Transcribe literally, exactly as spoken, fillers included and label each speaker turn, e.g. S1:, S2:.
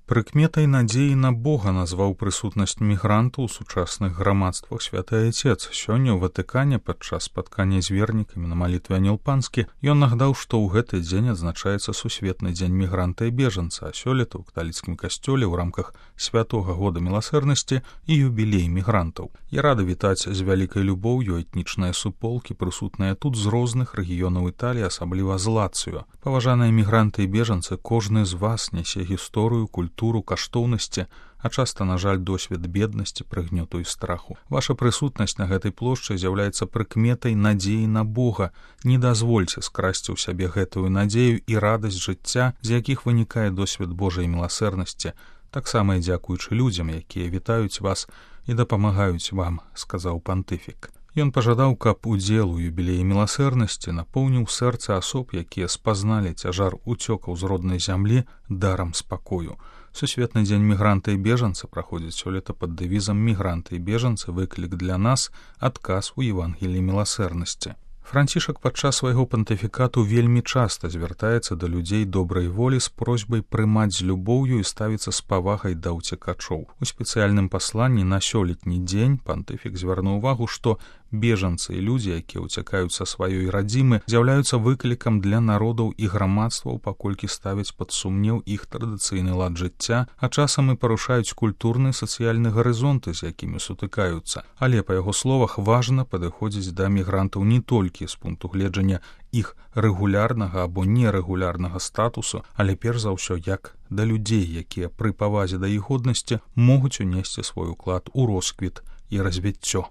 S1: Прыкметай надзеі на Бога назваў прысутнасць мігрантаў у сучасных грамадствах святы Айцец. Сёння ў Ватыкане падчас спаткання з вернікамі на малітве Анілпанскі ён нагадаў, што ў гэты дзень адзначаецца сусветны дзень мігранта і бежанца, а сёлета ў каталіцкім касцёле ў рамках святога года міласэрнасці і юбілей мігрантаў. Я рады вітаць з вялікай любоўю этнічныя суполкі, прысутныя тут з розных рэгіёнаў Італіі, асабліва з Лацыё. Паважаныя мігранты і бежанцы, кожны з вас нясе гісторыю, культуру, культуру, каштоўнасці, а часта, на жаль, досвед беднасці, прыгнёту і страху. Ваша прысутнасць на гэтай плошчы з'яўляецца прыкметай надзеі на Бога. Не дазвольце скрасці ў сябе гэтую надзею і радасць жыцця, з якіх вынікае досвед Божай міласэрнасці, таксама і дзякуючы людзям, якія вітаюць вас і дапамагаюць вам, сказаў пантыфік. Ён пажадаў, каб удзел у юбілеі міласэрнасці напоўніў сэрца асоб, якія спазналі цяжар уцёкаў з роднай зямлі дарам спакою. Сусветны дзень мігранта і бежанца праходзіць сёлета пад дэвізам «Мігранты і бежанцы. Выклік для нас. Адказ у Евангеліі міласэрнасці». Францішак падчас свайго пантыфікату вельмі часта звяртаецца да людзей добрай волі з просьбай прымаць з любоўю і ставіцца з павагай да ўцекачоў. У спецыяльным пасланні на сёлетні дзень пантыфік звярнуў увагу, што бежанцы і людзі, якія ўцякаюць са сваёй радзімы, з'яўляюцца выклікам для народаў і грамадстваў, паколькі ставяць пад сумнеў іх традыцыйны лад жыцця, а часам і парушаюць культурны і сацыяльны гарызонты, з якімі сутыкаюцца. Але, па яго словах, важна падыходзіць да мігрантаў не толькі з пункту гледжання іх рэгулярнага або нерэгулярнага статусу, але перш за ўсё як да людзей, якія пры павазе да іх годнасці могуць унесці свой уклад у росквіт і развіццё.